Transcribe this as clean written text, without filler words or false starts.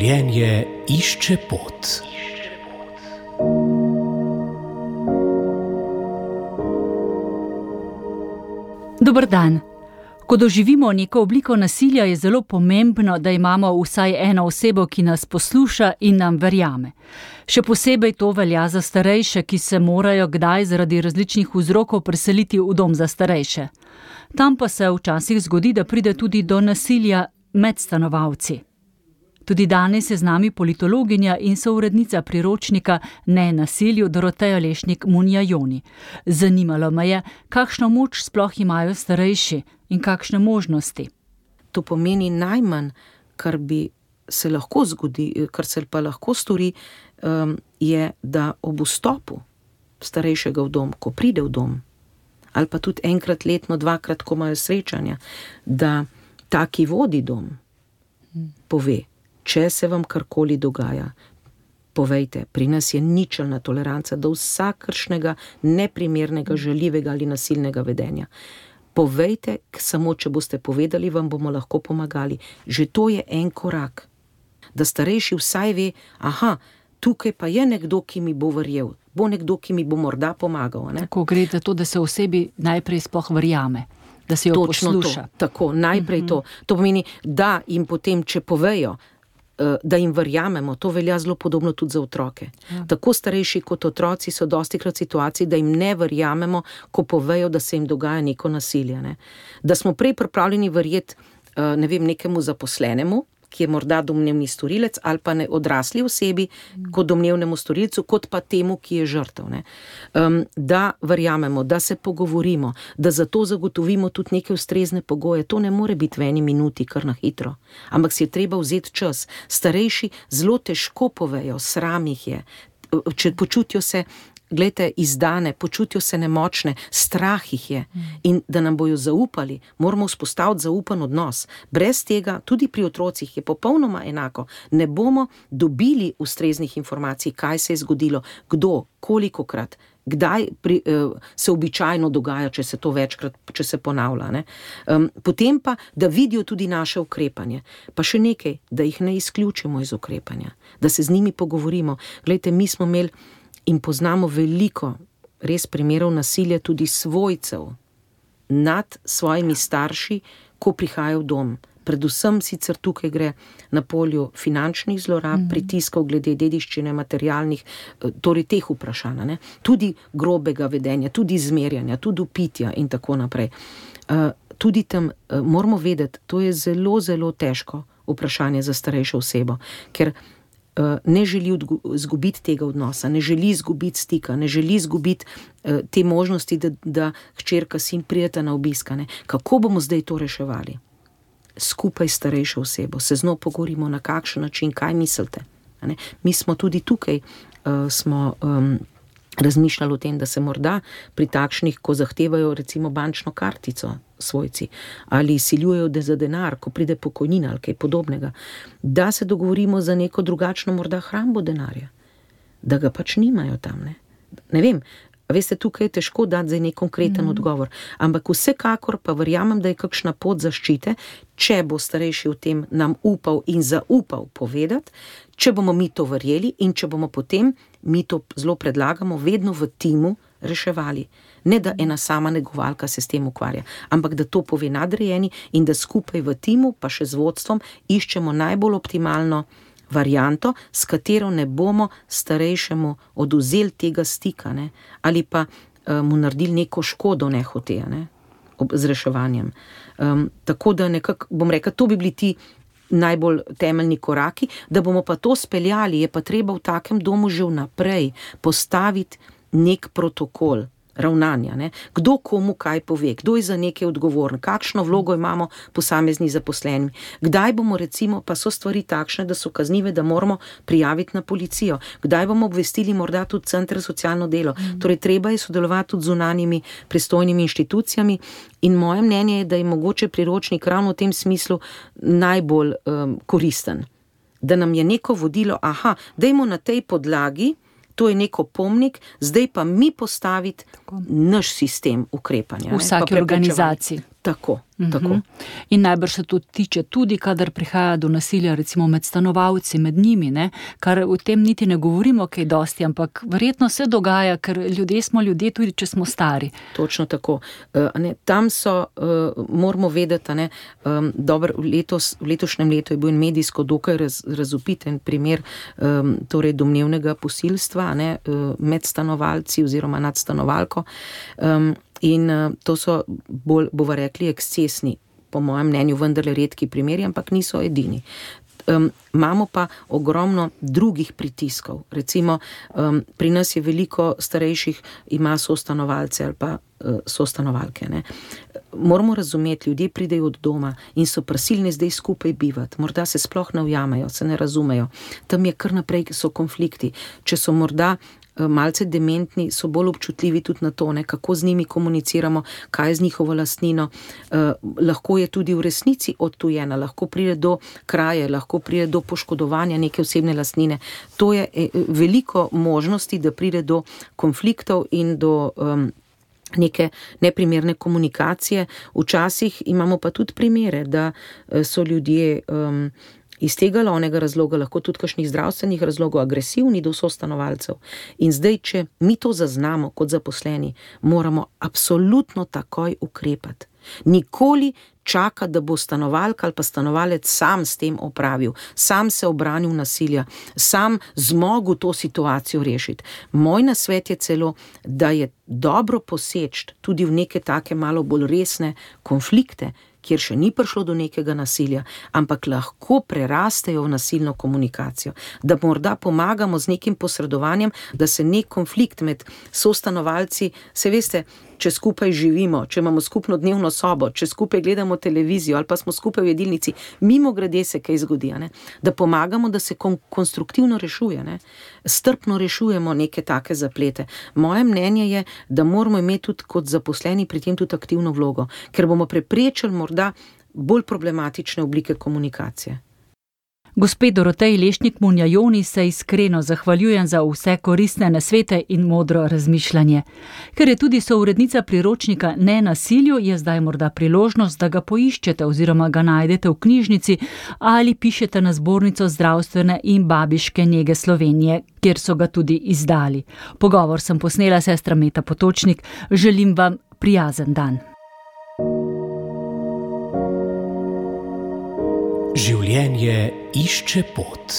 Življenje išče pot. Dober dan. Ko doživimo neko obliko nasilja, je zelo pomembno, da imamo vsaj eno osebo, ki nas posluša in nam verjame. Še posebej to velja za starejše, ki se morajo kdaj zaradi različnih vzrokov preseliti v dom za starejše. Tam pa se včasih zgodi, da pride tudi do nasilja med stanovalci. Tudi danes je z nami politologinja in sourednica priročnika Ne nasilju Doroteja Lešnik-Munjajoni. Zanimalo me je, kakšno moč sploh imajo starejši in kakšne možnosti. To pomeni najmanj, kar bi se lahko zgodi, kar se pa lahko stori, je, da ob vstopu starejšega v dom, ko pride v dom, ali pa tudi enkrat letno, dvakrat, ko imajo srečanja, da ta, ki vodi dom, pove, če se vam karkoli dogaja, povejte, pri nas je ničelna toleranca do vsakršnega neprimernega, žaljivega ali nasilnega vedenja. Povejte, samo če boste povedali, vam bomo lahko pomagali. Že to je en korak. Da starejši vsaj ve, tukaj pa je nekdo, ki mi bo verjel, bo nekdo, ki mi bo morda pomagal. Ne? Tako gre za to, da se osebi najprej sploh verjame, da se jo posluša. Tako, najprej to. To pomeni, da jim potem, če povejo, da jim verjamemo, to velja zelo podobno tudi za otroke. Ja. Tako starejši kot otroci so dostikrat v situaciji, da jim ne verjamemo, ko povejo, da se jim dogaja neko nasilje. Ne? Da smo prej pripravljeni verjeti, nekemu zaposlenemu, ki je morda domnevni storilec, ali pa odrasli osebi, kot domnevnemu storilcu, kot pa temu, ki je žrtev. Ne? Da verjamemo, da se pogovorimo, da za to zagotovimo tudi neke ustrezne pogoje. To ne more biti v eni minuti, kar na hitro. Ampak si je treba vzeti čas. Starejši zelo težko povejo, sram jih je. Če počutijo se, izdane, počutijo se nemočne, strah jih je. In da nam bojo zaupali, moramo vzpostaviti zaupan odnos. Brez tega, tudi pri otrocih je popolnoma enako. Ne bomo dobili ustreznih informacij, kaj se je zgodilo, kdo, kolikokrat, kdaj se običajno dogaja, če se to večkrat, če se ponavlja. Ne? Potem pa, da vidijo tudi naše ukrepanje. Pa še nekaj, da jih ne izključimo iz ukrepanja. Da se z njimi pogovorimo. Mi smo imeli in poznamo veliko res primerov nasilja tudi svojcev nad svojimi starši, ko prihajajo v dom. Predvsem sicer tukaj gre na polju finančnih zlorab, pritiskov glede dediščine, materialnih, torej teh vprašanj, ne? Tudi grobega vedenja, tudi zmerjanja, tudi upitja in tako naprej. Tudi tam moramo vedeti, to je zelo, zelo težko vprašanje za starejšo osebo, ker ne želi izgubiti tega odnosa, ne želi izgubiti stika, ne želi izgubiti te možnosti, da hčerka, sin prideta na obisk. Kako bomo zdaj to reševali? Skupaj s starejšo osebo se z njo pogovorimo, na kakšen način, kaj mislite. Mi smo tudi tukaj razmišljali o tem, da se morda pri takšnih, ko zahtevajo recimo bančno kartico svojci, ali siljujejo za denar, ko pride pokojnina ali kaj podobnega, da se dogovorimo za neko drugačno morda hrambo denarja, da ga pač nimajo tam. Ne vem, veste, tukaj je težko dati za nek konkreten odgovor, ampak vsekakor pa verjamem, da je kakšna pot zaščite, če bo starejši o tem nam upal in zaupal povedati, če bomo mi to verjeli in če bomo potem, mi to zelo predlagamo, vedno v timu reševali. Ne da ena sama negovalka se s tem ukvarja, ampak da to pove nadrejeni in da skupaj v timu, pa še z vodstvom, iščemo najbolj optimalno varianto, s katero ne bomo starejšemu odvzeli tega stika, ne? Ali pa mu naredili neko škodo nehote, ne? Z reševanjem. Tako da nekako, bom rekla, to bi bili ti najbolj temeljni koraki, da bomo pa to speljali, je pa treba v takem domu že vnaprej postaviti nek protokol ravnanja. Ne? Kdo komu kaj pove, kdo je za nekaj odgovoren, kakšno vlogo imamo posamezni zaposleni. Kdaj bomo recimo, pa so stvari takšne, da so kaznive, da moramo prijaviti na policijo. Kdaj bomo obvestili morda tudi center za socialno delo. Torej, treba je sodelovati tudi z zunanjimi pristojnimi inštitucijami in moje mnenje je, da je mogoče priročnik ravno v tem smislu najbolj koristen. Da nam je neko vodilo, dajmo na tej podlagi, to je neko pomnik, zdaj pa mi postaviti naš sistem ukrepanja. V vsaki organizaciji. Tako. In najbrž se to tiče tudi, kadar prihaja do nasilja, recimo med stanovalci, med njimi, ne? Kar o tem niti ne govorimo kaj dosti, ampak verjetno se dogaja, ker ljudje smo ljudje, tudi če smo stari. Točno tako. Tam so, moramo vedeti, dobro, v letošnjem letu je bil medijsko dokaj razvpiten primer torej domnevnega posilstva med stanovalci oziroma nad stanovalko. In to so bolj, bova rekli, ekscesni, po mojem mnenju, vendarle redki primeri, ampak niso edini. Imamo pa ogromno drugih pritiskov. Recimo, pri nas je veliko starejših, ima sostanovalce ali pa sostanovalke. Moramo razumeti, ljudje pridejo od doma in so prisilni zdaj skupaj bivati. Morda se sploh ne ujamejo, se ne razumejo. Tam je kar naprej, so konflikti. Če so morda malce dementni, so bolj občutljivi tudi na to, kako z njimi komuniciramo, kaj je z njihovo lastnino. Lahko je tudi v resnici odtujena, lahko pride do kraje, lahko pride do poškodovanja neke osebne lastnine. To je veliko možnosti, da pride do konfliktov in do neke neprimerne komunikacije. Včasih imamo pa tudi primere, da so ljudje iz tega ali onega razloga, lahko tudi kakšnih zdravstvenih razlogov, agresivni do sostanovalcev. In zdaj, če mi to zaznamo kot zaposleni, moramo absolutno takoj ukrepati. Nikoli čaka, da bo stanovalka ali pa stanovalec sam s tem opravil, sam se obranil nasilja, sam zmogel to situacijo rešiti. Moj nasvet je celo, da je dobro poseči tudi v neke take malo bolj resne konflikte, kjer še ni prišlo do nekega nasilja, ampak lahko prerastejo v nasilno komunikacijo. Da morda pomagamo z nekim posredovanjem, da se nek konflikt med sostanovalci, se veste, če skupaj živimo, če imamo skupno dnevno sobo, če skupaj gledamo televizijo ali pa smo skupaj v jedilnici, mimogrede se kaj zgodi, da pomagamo, da se konstruktivno rešuje, strpno rešujemo neke take zaplete. Moje mnenje je, da moramo imeti tudi kot zaposleni pri tem tudi aktivno vlogo, ker bomo preprečili morda bolj problematične oblike komunikacije. Gospe Doroteji Lešnik-Munjajoni se iskreno zahvaljujem za vse koristne nasvete in modro razmišljanje. Ker je tudi sourednica priročnika Nenasilju, je zdaj morda priložnost, da ga poiščete oziroma ga najdete v knjižnici ali pišete na Zbornico zdravstvene in babiške nege Slovenije, kjer so ga tudi izdali. Pogovor sem posnela sestra Meta Potočnik. Želim vam prijazen dan. Življenje išče pot.